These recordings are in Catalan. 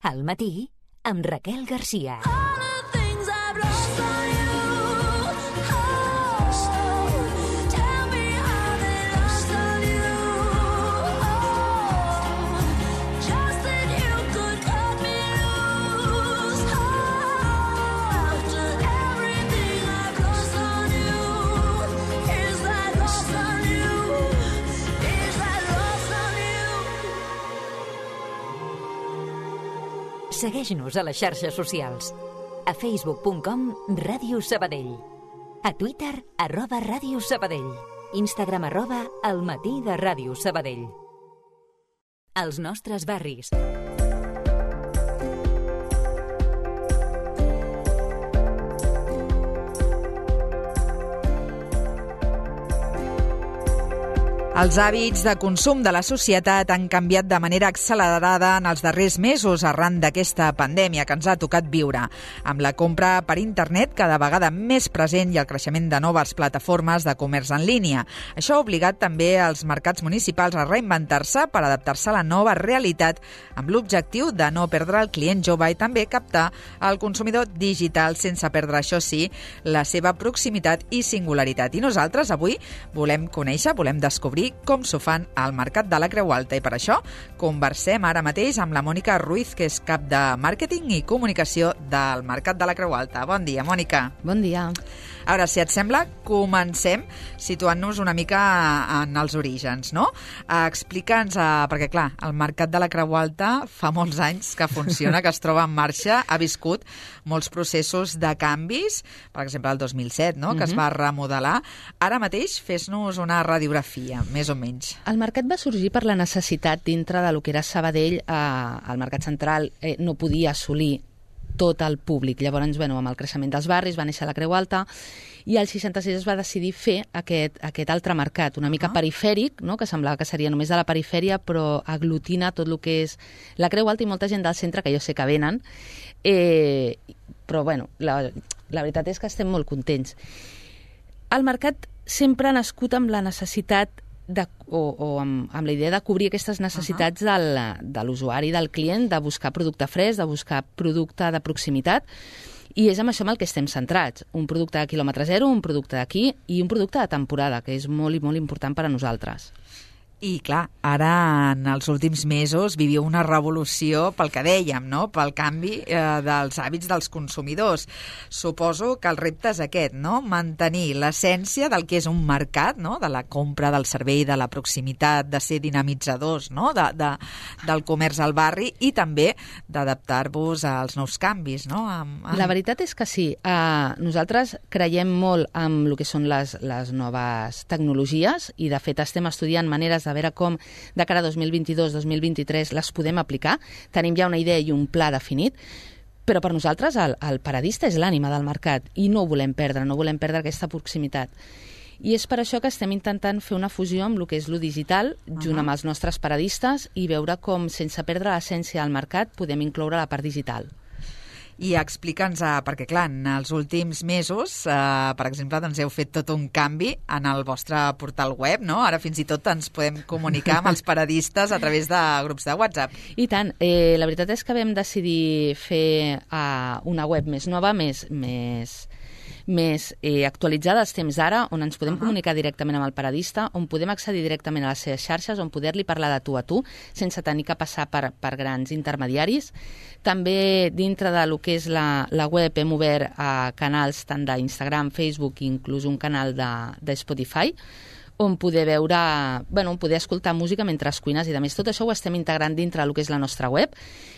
Al matí, amb Raquel Garcia. Segueix-nos a les xarxes socials. A facebook.com/Ràdio Sabadell. A Twitter @Ràdio Sabadell. Instagram @El matí de Ràdio Sabadell. Els nostres barris. Els hàbits de consum de la societat han canviat de manera accelerada en els darrers mesos arran d'aquesta pandèmia que ens ha tocat viure, amb la compra per internet cada vegada més present i el creixement de noves plataformes de comerç en línia. Això ha obligat també els mercats municipals a reinventar-se per adaptar-se a la nova realitat amb l'objectiu de no perdre el client jove i també captar el consumidor digital sense perdre, això sí, la seva proximitat i singularitat. I nosaltres avui volem descobrir com s'ho fan al Mercat de la Creu Alta i per això conversem ara mateix amb la Mònica Ruiz, que és cap de màrqueting i comunicació del Mercat de la Creu Alta. Bon dia, Mònica. Bon dia. A veure, si et sembla, comencem situant-nos una mica en els orígens, no? Explica'ns, perquè clar, el Mercat de la Creu Alta fa molts anys que funciona, que es troba en marxa, ha viscut molts processos de canvis, per exemple el 2007, no? Que es va remodelar. Ara mateix fes-nos una radiografia, més o menys. El mercat va sorgir per la necessitat dintre de lo que era Sabadell. El mercat central no podia assolir tot el públic. Llavors, amb el creixement dels barris va néixer la Creu Alta i al 66 es va decidir fer aquest altre mercat, una mica perifèric, no? Que semblava que seria només de la perifèria, però aglutina tot el que és la Creu Alta i molta gent del centre, que jo sé que venen. Però, la veritat és que estem molt contents. El mercat sempre ha nascut amb la necessitat amb la idea de cobrir aquestes necessitats de l'usuari, del client, de buscar producte fresc, de buscar producte de proximitat, i és amb això amb el que estem centrats. Un producte de quilòmetre zero, un producte d'aquí i un producte de temporada, que és molt i molt important per a nosaltres. I, clar, ara, en els últims mesos, viviu una revolució pel que dèiem, no? Pel canvi dels hàbits dels consumidors. Suposo que el repte és aquest, no? Mantenir l'essència del que és un mercat, no? De la compra, del servei, de la proximitat, de ser dinamitzadors, no? Del comerç al barri i també d'adaptar-vos als nous canvis, no? La veritat és que sí. Nosaltres creiem molt en el que són les noves tecnologies i, de fet, estem estudiant maneres de veure com de cara a 2022-2023 les podem aplicar. Tenim ja una idea i un pla definit, però per nosaltres el paradista és l'ànima del mercat i no ho volem perdre aquesta proximitat. I és per això que estem intentant fer una fusió amb el que és lo digital, junt amb els nostres paradistes, i veure com, sense perdre l'essència del mercat, podem incloure la part digital. I explica'ns, perquè clar, en els últims mesos, per exemple, doncs heu fet tot un canvi en el vostre portal web, no? Ara fins i tot ens podem comunicar amb els paradistes a través de grups de WhatsApp. I tant. La veritat és que vam decidir fer una web més nova, més actualitzada als temps d'ara, on ens podem comunicar directament amb el paradista, on podem accedir directament a les seves xarxes, on poder-li parlar de tu a tu, sense tenir que passar per grans intermediaris. També dintre de lo que és la web hem obert canals tant d'Instagram, Facebook i inclús un canal de Spotify, on poder veure, on poder escoltar música mentre cuines i de més. Tot això ho estem integrant dintre del que és la nostra web.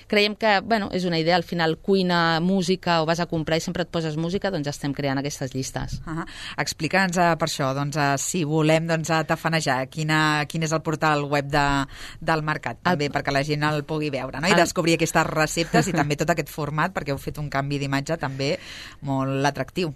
Creiem que, és una idea, al final cuina, música, o vas a comprar i sempre et poses música, doncs estem creant aquestes llistes. Explica'ns per això, si volem tafanejar, quin és el portal web del mercat, també, perquè la gent el pugui veure, no? I descobrir aquestes receptes i també tot aquest format, perquè heu fet un canvi d'imatge també molt atractiu.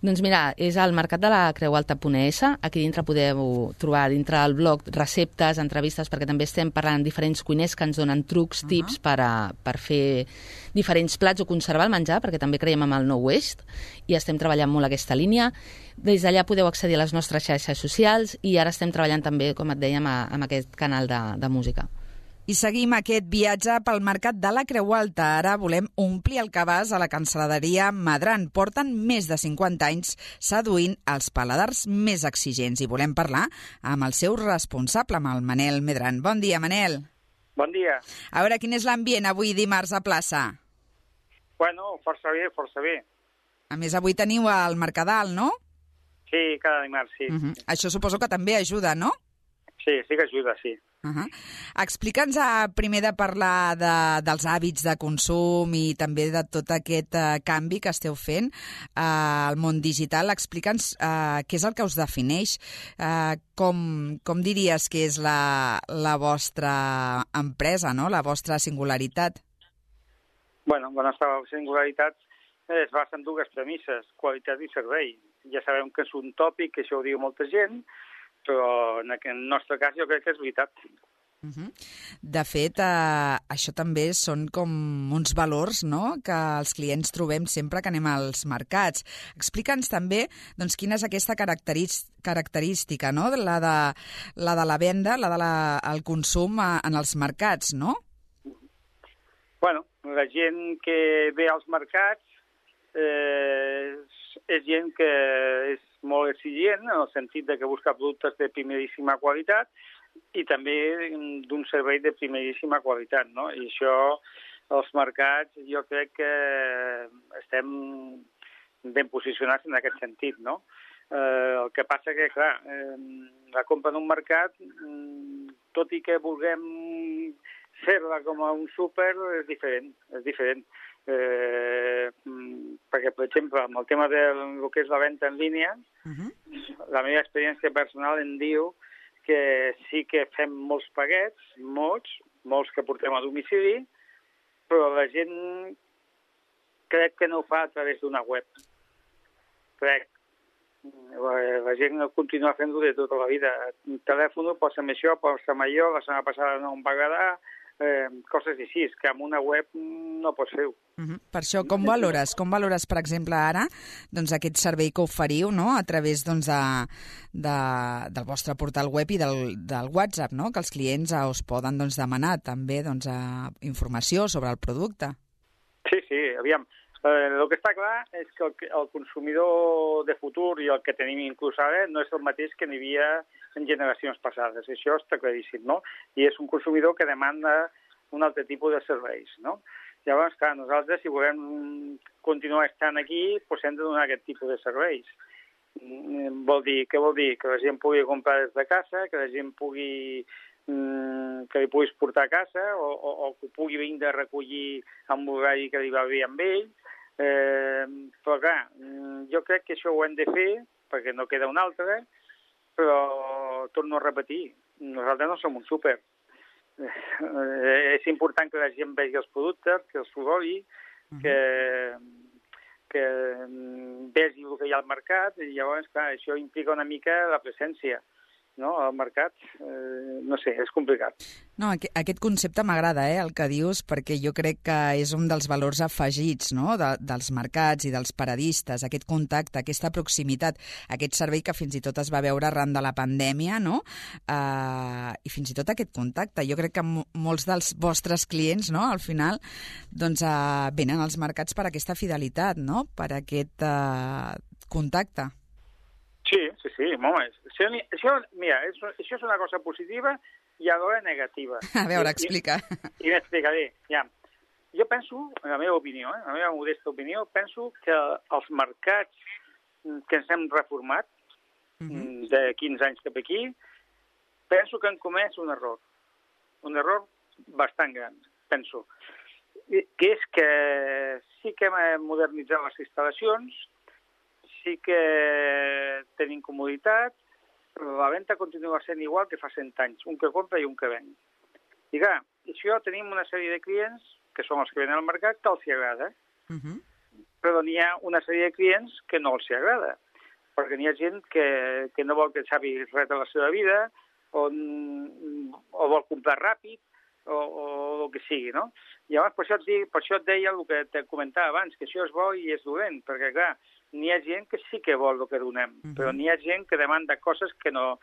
Doncs mira, és al mercat de la creualta.es. Aquí dintre podeu trobar dintre del blog receptes, entrevistes, perquè també estem parlant amb diferents cuiners que ens donen trucs, tips per fer diferents plats o conservar el menjar, perquè també creiem en el no waste i estem treballant molt aquesta línia. Des d'allà podeu accedir a les nostres xarxes socials i ara estem treballant també, com et dèiem, amb aquest canal de música. I seguim aquest viatge pel mercat de la Creu Alta. Ara volem omplir el cabàs a la cancel·laderia Madran. Porten més de 50 anys seduint els paladars més exigents i volem parlar amb el seu responsable, amb el Manel Medran. Bon dia, Manel. Bon dia. A veure, quin és l'ambient avui dimarts a plaça? Bueno, força bé, força bé. A més, avui teniu el Mercadal, no? Sí, cada dimarts, sí. Això suposo que també ajuda, no? Sí, sí que ajuda, sí. Explica'ns primer de parlar dels hàbits de consum i també de tot aquest canvi que esteu fent al món digital. Explica'ns què és el que us defineix, com diries que és la vostra empresa, no? La vostra singularitat. Bueno, la nostra singularitat es basa en dues premisses, qualitat i servei. Ja sabem que és un tòpic, que això ho diu molta gent, però en el nostre cas jo crec que és veritat. De fet, això també són com uns valors, no?, que els clients trobem sempre que anem als mercats. Explica'ns també doncs, quina és aquesta característica, no?, la de la venda, la del consum en els mercats, no? Bueno, la gent que ve als mercats és gent que és molt exigent en el sentit de que busca productes de primeríssima qualitat i també d'un servei de primeríssima qualitat, no? I això, els mercats, jo crec que estem ben posicionats en aquest sentit, no? El que passa que, clar, la compra en un mercat, tot i que vulguem fer-la com a un súper, és diferent. Perquè, per exemple, amb el tema del que és la venda en línia, la meva experiència personal em diu que sí que fem molts paquets, molts que portem a domicili, però la gent crec que no ho fa a través d'una web. Crec. La gent continua fent-ho de tota la vida. El telèfon, posa'm això, posa'm allò, la setmana passada no em va agradar, coses així, que amb una web no pots fer-ho. Per això, com valores, per exemple, ara doncs, aquest servei que oferiu, no?, a través doncs, del vostre portal web i del WhatsApp, no?, que els clients us poden doncs, demanar també doncs, informació sobre el producte? Sí, aviam. El que està clar és que el consumidor de futur i el que tenim inclús ara no és el mateix que n'hi havia en generacions passades. Això està claríssim, no? I és un consumidor que demanda un altre tipus de serveis, no? Llavors, clar, nosaltres, si volem continuar estant aquí, doncs hem de donar aquest tipus de serveis. Què vol dir? Que la gent pugui comprar des de casa, que la gent pugui que li puguis portar a casa o que pugui vindre a recollir amb l'horari que li va bé amb ell. Però, clar, jo crec que això ho hem de fer, perquè no queda un altre, però torno a repetir, nosaltres no som un súper. És important que la gent vegi els productes, que els progui, que vegi el que hi ha al mercat, i llavors, clar, això implica una mica la presència, no?, al mercat. No sé, és complicat. No, aquest concepte m'agrada, el que dius, perquè jo crec que és un dels valors afegits, no?, dels mercats i dels paradistes, aquest contacte, aquesta proximitat, aquest servei que fins i tot es va veure arran de la pandèmia, no?, i fins i tot aquest contacte. Jo crec que molts dels vostres clients, no?, al final, doncs venen als mercats per aquesta fidelitat, no?, per aquest contacte. Sí, home, això és una cosa positiva i alhora negativa. A veure, explica. I m'explicaré. Ja. Jo penso, en la meva opinió, en la meva modesta opinió, penso que els mercats que ens hem reformat de 15 anys cap aquí, penso que han comès un error bastant gran, penso, que és que sí que hem modernitzat les instal·lacions, sí que tenim comoditat, però la venda continua sent igual que fa 100 anys, un que compra i un que ven. I clar, això tenim una sèrie de clients, que són els que venen al mercat, que els hi agrada, però n'hi ha una sèrie de clients que no els hi agrada, perquè n'hi ha gent que no vol que sapi res de la seva vida, o vol comprar ràpid, o el que sigui, no? Llavors, per això et deia el que te comentava abans, que això és bo i és dolent, perquè, clar, n'hi ha gent que sí que vol el que donem, però n'hi ha gent que demanda coses que no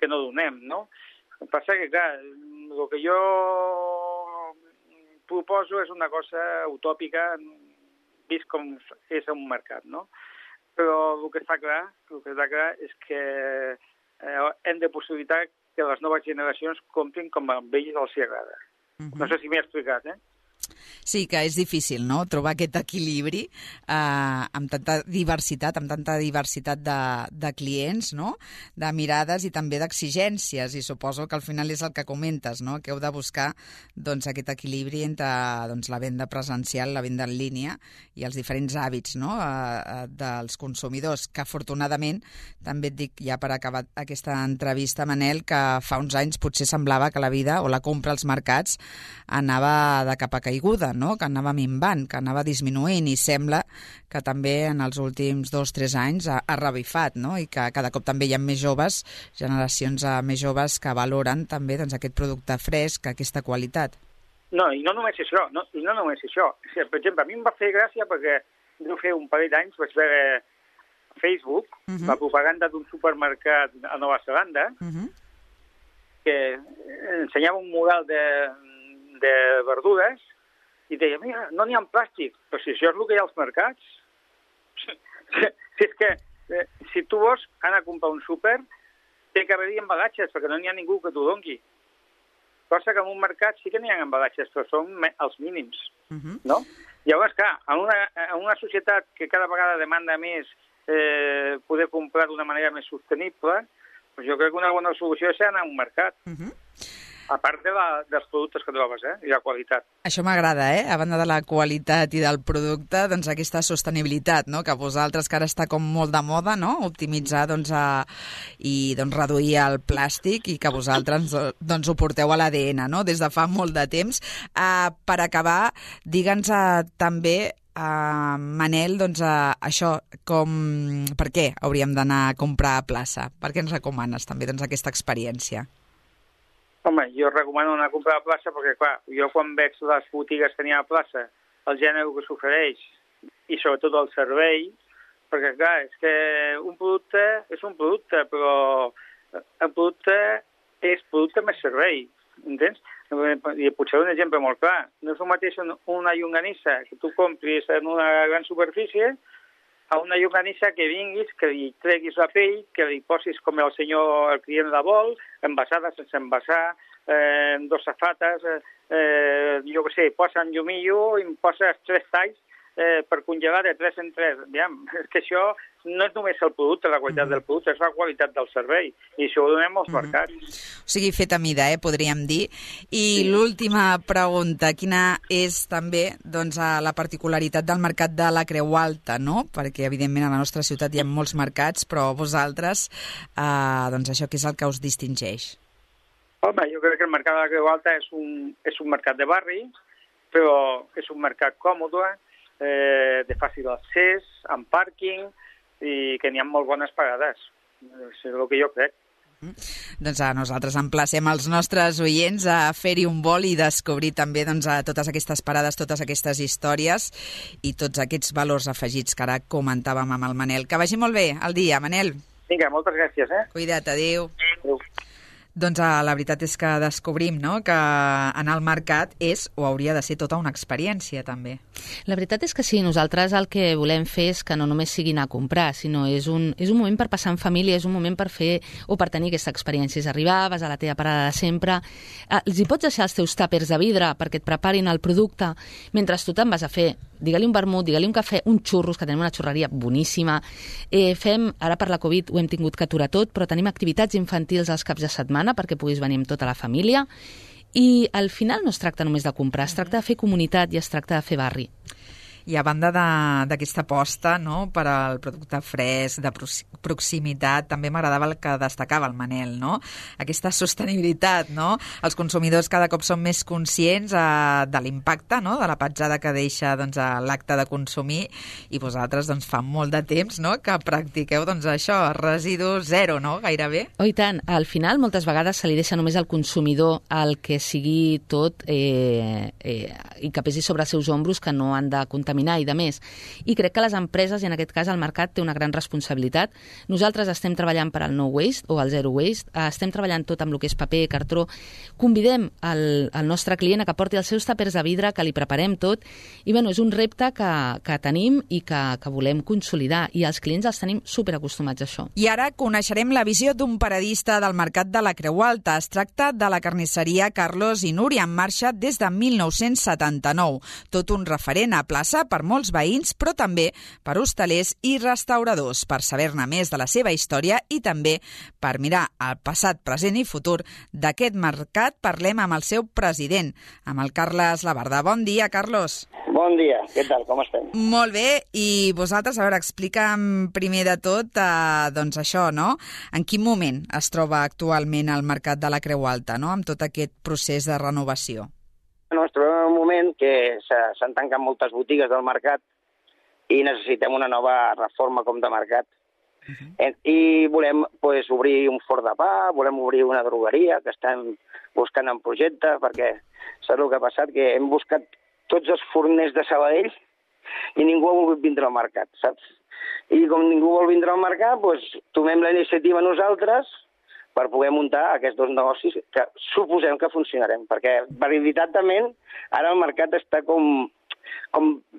donem, no? El que passa que, clar, el que jo proposo és una cosa utòpica, vist com és un mercat, no? Però el que està clar és que hem de possibilitar que les noves generacions comprin com a ells els agrada. No sé si m'he explicat, Sí, que és difícil, no?, trobar aquest equilibri amb tanta diversitat de clients, no?, de mirades i també d'exigències, i suposo que al final és el que comentes, no?, que heu de buscar doncs, aquest equilibri entre la venda presencial, la venda en línia i els diferents hàbits, no?, dels consumidors, que afortunadament, també et dic ja per acabar aquesta entrevista, Manel, que fa uns anys potser semblava que la vida o la compra als mercats anava de capa caiguda, no?, que anava minvant, que anava disminuint, i sembla que també en els últims 2-3 anys ha revifat, no?, i que cada cop també hi ha més joves, generacions més joves que valoren també doncs, aquest producte fresc, aquesta qualitat. No, i no només això, O sigui, per exemple, a mi em va fer gràcia perquè deu fer un parell d'anys vaig veure a Facebook la propaganda d'un supermercat a Nova Zelanda que ensenyava un mural de verdures i deia, mira, no n'hi ha plàstic, però si això és el que hi ha als mercats. Si és que, si tu vols anar a comprar un súper, té que haver-hi embalatges, perquè no n'hi ha ningú que t'ho doni. Cosa que en un mercat sí que n'hi ha embalatges, però són els mínims, no? Llavors, clar, en una societat que cada vegada demanda més poder comprar d'una manera més sostenible, doncs jo crec que una bona solució és anar a un mercat. A part dels productes que trobes, i la qualitat. Això m'agrada, a banda de la qualitat i del producte, doncs aquesta sostenibilitat, no?, que vosaltres, que ara està com molt de moda, no?, optimitzar i reduir el plàstic, i que vosaltres doncs ho porteu a l'ADN, no?, des de fa molt de temps. Per acabar, digue'ns també, Manel, doncs això, per què hauríem d'anar a comprar a plaça? Per què ens recomanes també doncs, aquesta experiència? Home, jo recomano anar a comprar a plaça perquè, clar, jo quan veig les botigues que n'hi ha a plaça, el gènere que s'ofereix i sobretot el servei, perquè, clar, és que un producte és un producte, però el producte és producte més servei, entens? I potser un exemple molt clar. No és el mateix una llonganissa que tu compris en una gran superfície a una llonganissa que vinguis, que li treguis la pell, que li posis com el client la vol, envasada sense envasar, dos safates, jo què sé, posa en llumillo i em poses 3 talls per congelar de 3 en 3. És que això no és només el producte, la qualitat del producte, és la qualitat del servei, i això ho donem als mercats. O sigui, fet a mida, podríem dir. I l'última pregunta, quina és també la particularitat del mercat de la Creu Alta, no? Perquè, evidentment, a la nostra ciutat hi ha molts mercats, però vosaltres, això què és el que us distingeix? Home, jo crec que el mercat de la Creu Alta és un mercat de barri, però és un mercat còmode, de fàcil accés, amb pàrquing, i que n'hi ha molt bones pagades. És el que jo crec. Doncs nosaltres emplacem els nostres oients a fer-hi un vol i descobrir també totes aquestes parades, totes aquestes històries i tots aquests valors afegits que ara comentàvem amb el Manel. Que vagi molt bé el dia, Manel. Vinga, moltes gràcies. Cuida't, adéu. Adéu. Doncs la veritat és que descobrim, no?, que anar al mercat és o hauria de ser tota una experiència, també. La veritat és que sí, nosaltres el que volem fer és que no només sigui anar a comprar, sinó és un moment per passar en família, és un moment per fer o per tenir aquesta experiència. És arribar, vas a la teva parada de sempre, els hi pots deixar els teus tàpers de vidre perquè et preparin el producte, mentre tu te'n vas a fer, digue-li un vermut, digue-li un cafè, un xurros, que tenim una xurreria boníssima. Ara per la Covid ho hem tingut que aturar tot, però tenim activitats infantils als caps de setmana perquè puguis venir amb tota la família. I al final no es tracta només de comprar, es tracta de fer comunitat i es tracta de fer barri. I a banda d'aquesta aposta, no?, per al producte fresc, de proximitat, també m'agradava el que destacava el Manel, no?, aquesta sostenibilitat, no? Els consumidors cada cop són més conscients de l'impacte, no?, de la petjada que deixa l'acte de consumir, i vosaltres fa molt de temps, no?, que practiqueu això, residu zero, no?, gairebé. Oh, i tant. Al final moltes vegades se li deixa només al consumidor el que sigui tot i que pesi sobre els seus ombros, que no han de contaminar contaminar i de més. I crec que les empreses, i en aquest cas el mercat, té una gran responsabilitat. Nosaltres estem treballant per al no waste o al zero waste, estem treballant tot amb el que és paper, cartró. Convidem el nostre client a que porti els seus tàpers de vidre, que li preparem tot, i bueno, és un repte que tenim i que volem consolidar, i els clients els tenim superacostumats a això. I ara coneixerem la visió d'un paradista del mercat de la Creu Alta. Es tracta de la carnisseria Carlos i Núria, en marxa des de 1979. Tot un referent a plaça per molts veïns, però també per hostalers i restauradors. Per saber-ne més de la seva història i també per mirar el passat, present i futur d'aquest mercat, parlem amb el seu president, amb el Carles Labarda. Bon dia, Carlos. Bon dia, què tal, com estem? Molt bé, i vosaltres, a veure, explica'm primer de tot, doncs això, no? En quin moment es troba actualment el mercat de la Creu Alta, no?, amb tot aquest procés de renovació? Bueno, es trobem en un moment que s'han tancat moltes botigues del mercat i necessitem una nova reforma com de mercat. I volem obrir un forn de pa, volem obrir una drogueria, que estem buscant en projecte, perquè saps el que ha passat? Que hem buscat tots els forners de Sabadell i ningú ha volgut vindre al mercat, saps? I com ningú vol vindre al mercat, tomem la iniciativa nosaltres per poder muntar aquests dos negocis que suposem que funcionarem, perquè veritatament ara el mercat està com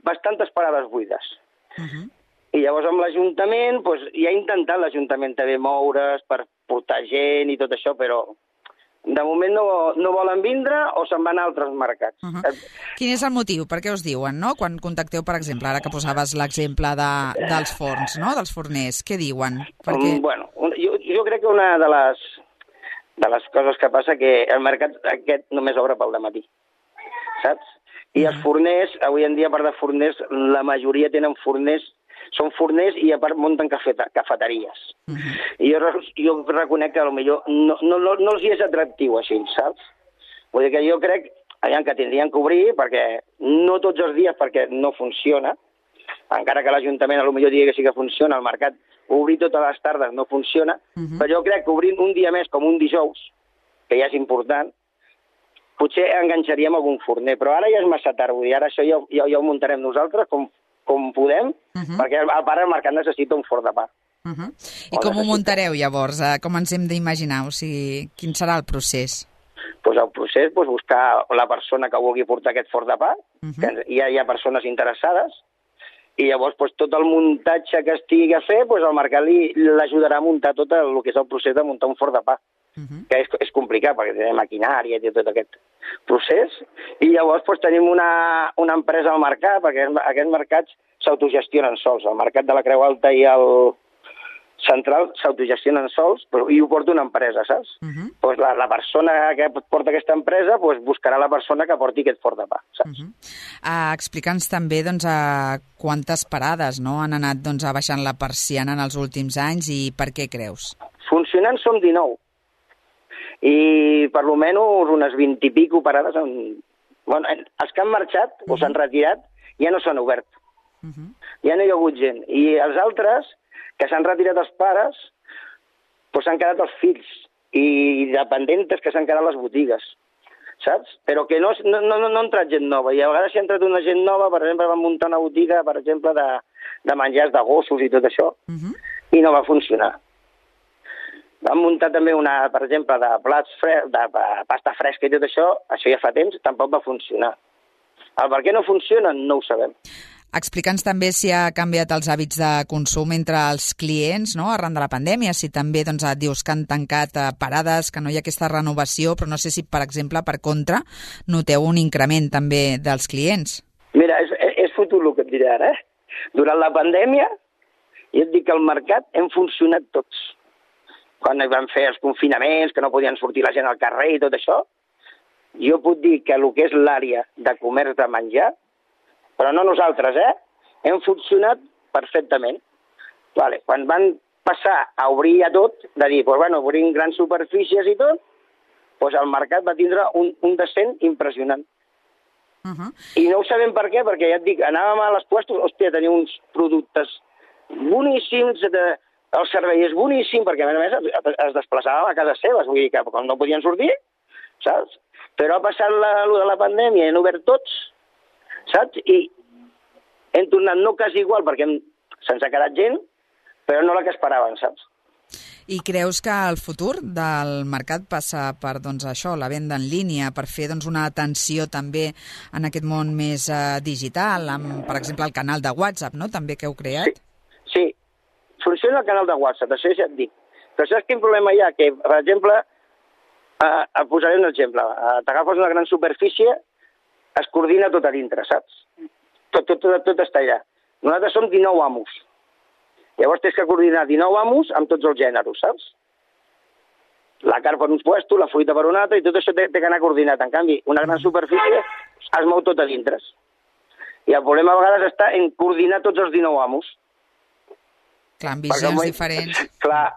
bastantes parades buides. I llavors amb l'Ajuntament, ja ha intentat l'Ajuntament també moure's per portar gent i tot això, però de moment no volen vindre o se'n van a altres mercats. Quin és el motiu? Per què us diuen, no? Quan contacteu, per exemple, ara que posaves l'exemple dels forns, no?, dels forners, què diuen? Perquè... Bueno, jo crec que una de les coses que passa que el mercat aquest només obre pel dematí, saps? I els forners, avui en dia, a part de forners, la majoria tenen forners, són forners i a part munten cafeteries. I jo reconec que potser no els és atractiu així, saps? Vull dir que jo crec que tindrien que obrir, perquè no tots els dies, perquè no funciona, encara que l'Ajuntament potser digui que sí que funciona, el mercat obrir totes les tardes no funciona, però jo crec que obrint un dia més, com un dijous, que ja és important, potser enganxaríem algun forner, però ara ja és massa tard, vull dir, ara això ja ho muntarem nosaltres com podem, perquè el mercat necessita un forn de pa. I com ho muntareu, llavors? Com ens hem d'imaginar? O sigui, quin serà el procés? El procés, buscar la persona que vulgui portar aquest forn de pa, que ja hi ha persones interessades, i llavors tot el muntatge que estigui a fer, el mercat l'ajudarà a muntar tot el que és el procés de muntar un forn de pa, que és complicat, perquè té maquinària i tot aquest procés, i llavors tenim una empresa al mercat, perquè aquests mercats s'autogestionen sols. El mercat de la Creu Alta i el central s'autogestionen sols i ho porta una empresa, saps? La persona que porta aquesta empresa buscarà la persona que porti aquest forn de pa, saps? Explica'ns també quantes parades han anat abaixant la persiana en els últims anys i per què creus? Funcionant som 19. I per almenys unes 20 i pico parades. Els que han marxat o s'han retirat ja no s'han obert. Ja no hi ha hagut gent. I els altres, que s'han retirat els pares, s'han quedat els fills i dependentes que s'han quedat les botigues, saps? Però que no ha entrat gent nova. I a vegades si ha entrat una gent nova, per exemple, van muntar una botiga, per exemple, de menjars de gossos i tot això, i no va funcionar. Vam muntar també per exemple, de pasta fresca i tot això ja fa temps, tampoc va funcionar. El per què no funciona no ho sabem. Explica'ns també si ha canviat els hàbits de consum entre els clients, no?, arran de la pandèmia, si també dius que han tancat parades, que no hi ha aquesta renovació, però no sé si, per exemple, per contra, noteu un increment també dels clients. Mira, és fotut el que et diré ara, Durant la pandèmia, jo et dic que al mercat hem funcionat tots. Quan van fer els confinaments, que no podien sortir la gent al carrer i tot això, jo puc dir que el que és l'àrea de comerç de menjar, però no nosaltres, hem funcionat perfectament. Quan van passar a obrir a tot, de dir, obrim grans superfícies i tot, el mercat va tindre un descens impressionant. I no ho sabem per què, perquè ja et dic, anàvem a les puestos, tenia uns productes boníssims, el servei és boníssim, perquè a més es desplaçàvem a casa seves, vull dir que quan no podien sortir, saps? Però ha passat de la pandèmia, han obert tots, saps? I hem tornat no quasi igual, perquè se'ns ha quedat gent, però no la que esperàvem, saps? I creus que el futur del mercat passa per això, la venda en línia, per fer una atenció també en aquest món més digital, amb, per exemple, el canal de WhatsApp, no?, també que heu creat? Sí, funciona el canal de WhatsApp, això ja et dic. Però saps quin problema hi ha? Que, per exemple, et posaré un exemple. T'agafes una gran superfície, es coordina tot a dintre, saps? Tot està allà. Nosaltres som 19 amos. Llavors tens que coordinar 19 amos amb tots els gèneres, saps? La carn per un puesto, la fruita per un altre, i tot això té que anar coordinat. En canvi, una gran superfície es mou tot a dintre. I el problema a vegades està en coordinar tots els 19 amos. Clar, amb visions diferents. Clar,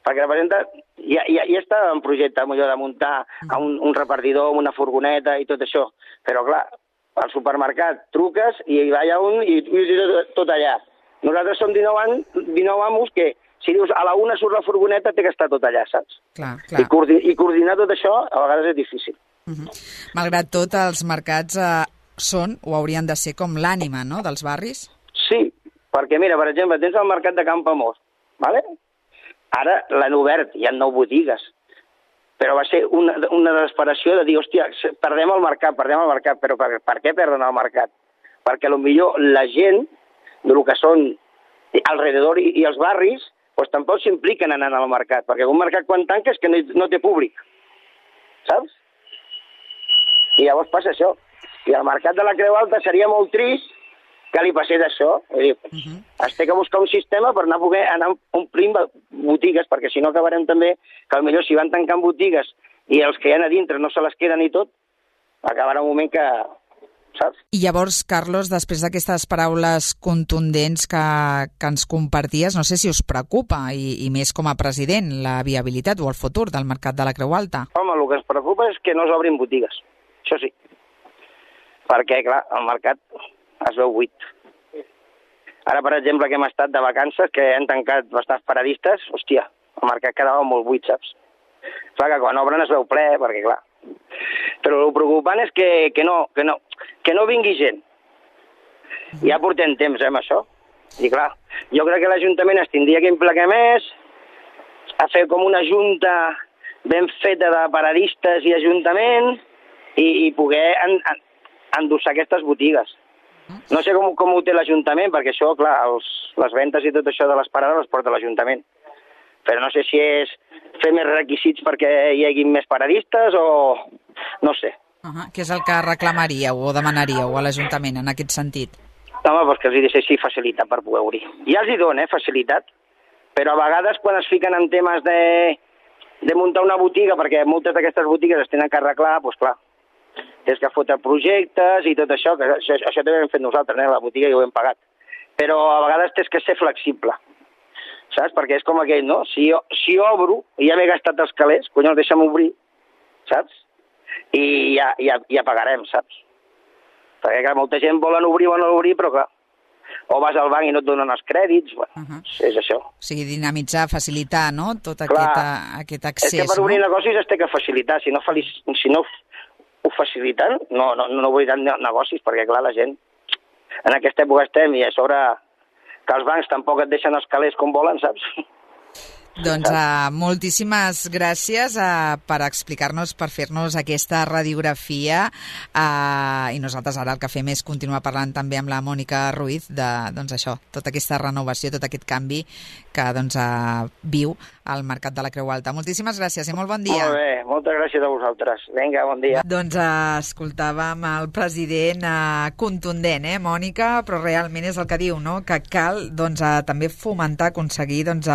perquè representa... Ja està en projecte, millor, de muntar un repartidor amb una furgoneta i tot això. Però, clar, al supermercat truques i va allà un i tot allà. Nosaltres som 19 amos que, si dius a la una surt la furgoneta, té que estar tot allà, saps? Clar. I coordinar tot això a vegades és difícil. Malgrat tot, els mercats són o haurien de ser com l'ànima, no?, dels barris? Sí, perquè mira, per exemple, tens el mercat de Campoamor, ¿vale? Ara l'han obert, hi ha 9 botigues, però va ser una desesperació de dir, hòstia, perdem el mercat, però per què perden el mercat? Perquè potser la gent del que són alrededor i els barris, doncs tampoc s'impliquen anant al mercat, perquè un mercat quan tanca és que no té públic, saps? I llavors passa això. I al mercat de la Creu Alta seria molt trist que li passés això. Es té que buscar un sistema per poder anar omplint botigues, perquè si no acabarem també que potser si van tancant botigues i els que hi ha a dintre no se les queden i tot, acabarà un moment que... saps? I llavors, Carlos, després d'aquestes paraules contundents que ens comparties, no sé si us preocupa, i més com a president, la viabilitat o el futur del mercat de la Creu Alta. Home, el que ens preocupa és que no s'obrin botigues, això sí. Perquè, clar, el mercat es veu buit. Ara, per exemple, que hem estat de vacances, que han tancat bastants paradistes, hòstia, el mercat quedava molt buit, saps? Clar, que quan obren es veu ple, perquè, clar... Però el preocupant és que no vingui gent. Ja portem temps, amb això. I clar, jo crec que l'Ajuntament es tindria que implicar més, a fer com una junta ben feta de paradistes i Ajuntament i poder endossar aquestes botigues. No sé com ho té l'Ajuntament, perquè això, clar, les ventes i tot això de les parades les porta l'Ajuntament. Però no sé si és fer més requisits perquè hi hagi més paradistes o... no sé. Què és el que reclamaríeu o demanaríeu a l'Ajuntament en aquest sentit? Home, doncs que els deixessi facilitat per poder obrir. Ja els hi donen, facilitat, però a vegades quan es fiquen en temes de muntar una botiga, perquè moltes d'aquestes botigues es tenen que arreglar, doncs clar, tens que fotre projectes i tot això, que això també ho hem fet nosaltres, la botiga i ho hem pagat. Però a vegades tens que ser flexible. Saps? Perquè és com aquell, no? Si obro i ja m'he gastat els calés, collons, deixa'm obrir, saps? I ja pagarem, saps? Perquè, clar, molta gent volen obrir, però, clar, o vas al banc i no et donen els crèdits, bueno, és això. O sigui, dinamitzar, facilitar, no?, tot aquest accés. És que per obrir negocis es té que facilitar, si no ho faciliten, no obriran negocis, perquè, clar, la gent, en aquesta època estem i a sobre... que els bancs tampoc et deixen els calés com volen, saps? Doncs moltíssimes gràcies per explicar-nos, per fer-nos aquesta radiografia i nosaltres ara el que fem és continuar parlant també amb la Mònica Ruiz de, doncs això, tota aquesta renovació, tot aquest canvi que doncs viu al mercat de la Creu Alta. Moltíssimes gràcies i molt bon dia. Molt bé, moltes gràcies a vosaltres. Vinga, bon dia. Doncs escoltàvem el president contundent, Mònica, però realment és el que diu, no?, que cal doncs també fomentar, aconseguir doncs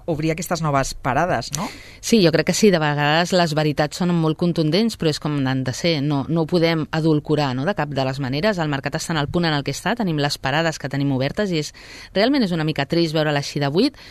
obrir aquestes noves parades, no? Sí, jo crec que sí, de vegades les veritats són molt contundents, però és com han de ser, no ho podem adulcorar, no?, de cap de les maneres. El mercat està en el punt en el que està, tenim les parades que tenim obertes i realment és una mica trist veure-la així de buit.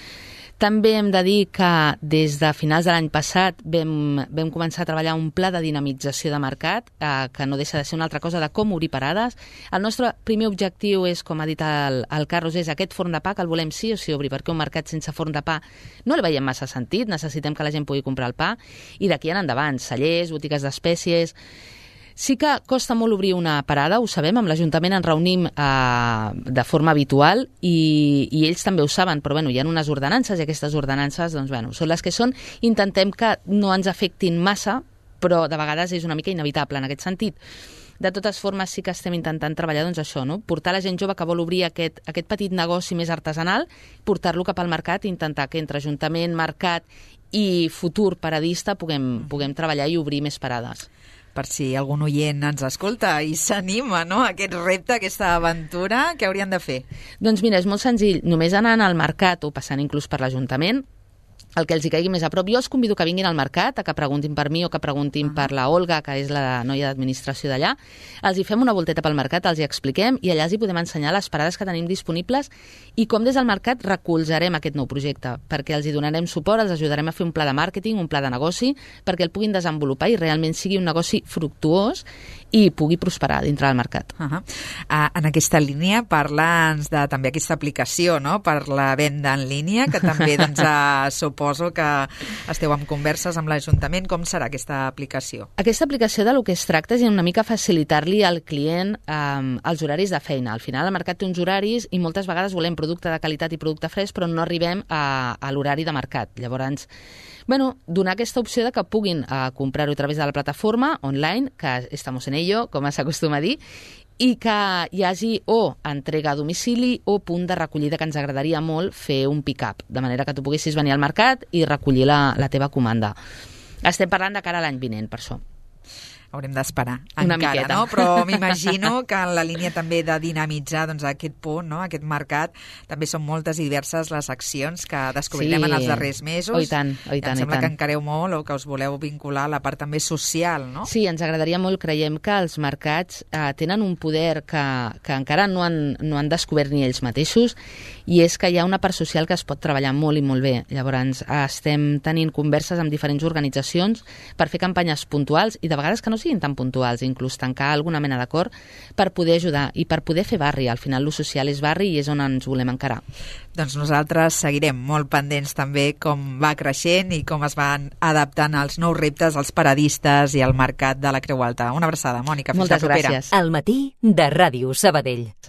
També hem de dir que des de finals de l'any passat vam començar a treballar un pla de dinamització de mercat, que no deixa de ser una altra cosa de com obrir parades. El nostre primer objectiu és, com ha dit el Carlos, és aquest forn de pa, que el volem sí o sí obrir, perquè un mercat sense forn de pa no el veiem massa sentit, necessitem que la gent pugui comprar el pa, i d'aquí en endavant, cellers, botigues d'espècies... Sí que costa molt obrir una parada, ho sabem, amb l'Ajuntament ens reunim de forma habitual i ells també ho saben, però hi ha unes ordenances i aquestes ordenances són les que són. Intentem que no ens afectin massa, però de vegades és una mica inevitable en aquest sentit. De totes formes, sí que estem intentant treballar això, no? Portar la gent jove que vol obrir aquest petit negoci més artesanal, portar-lo cap al mercat i intentar que entre Ajuntament, mercat i futur paradista puguem treballar i obrir més parades. Per si algun oient ens escolta i s'anima, no?, a aquest repte, a aquesta aventura, què haurien de fer? Doncs mira, és molt senzill. Només anant al mercat o passant inclús per l'Ajuntament, el que els hi caigui més a prop. Jo els convido que vinguin al mercat, a que preguntin per mi o que preguntin per la Olga, que és la noia d'administració d'allà. Els hi fem una volteta pel mercat, els hi expliquem i allà els hi podem ensenyar les parades que tenim disponibles i com des del mercat recolzarem aquest nou projecte, perquè els hi donarem suport, els ajudarem a fer un pla de màrqueting, un pla de negoci, perquè el puguin desenvolupar i realment sigui un negoci fructuós i pugui prosperar dintre del mercat. En aquesta línia, parla'ns de també aquesta aplicació, no?, per la venda en línia, que també suposo que esteu en converses amb l'Ajuntament. Com serà aquesta aplicació? Aquesta aplicació de lo que es tracta és una mica facilitar-li al client els horaris de feina. Al final el mercat té uns horaris i moltes vegades volem producte de qualitat i producte fresc, però no arribem a l'horari de mercat. Llavors, donar aquesta opció de que puguin comprar-ho a través de la plataforma online, que estamos en ello, com s'acostuma a dir, i que hi hagi o entrega a domicili o punt de recollida, que ens agradaria molt fer un pick-up, de manera que tu poguessis venir al mercat i recollir la teva comanda. Estem parlant de cara a l'any vinent, per això. Haurem d'esperar una encara, miqueta. No? Però m'imagino que en la línia també de dinamitzar aquest punt, no?, aquest mercat, també són moltes i diverses les accions que descobrirem en els darrers mesos. I tant. Em sembla que encareu molt o que us voleu vincular a la part també social, no? Sí, ens agradaria molt. Creiem que els mercats tenen un poder que encara no han descobert ni ells mateixos, i és que hi ha una part social que es pot treballar molt i molt bé. Llavors, estem tenint converses amb diferents organitzacions per fer campanyes puntuals i de vegades que no siguin tan puntuals, inclús tancar alguna mena d'acord per poder ajudar i per poder fer barri. Al final, lo social és barri i és on ens volem encarar. Doncs nosaltres seguirem molt pendents també com va creixent i com es van adaptant als nous reptes, als paradistes i al mercat de la Creu Alta. Una abraçada, Mònica. Fins la propera. Moltes gràcies. Al matí de Ràdio Sabadell.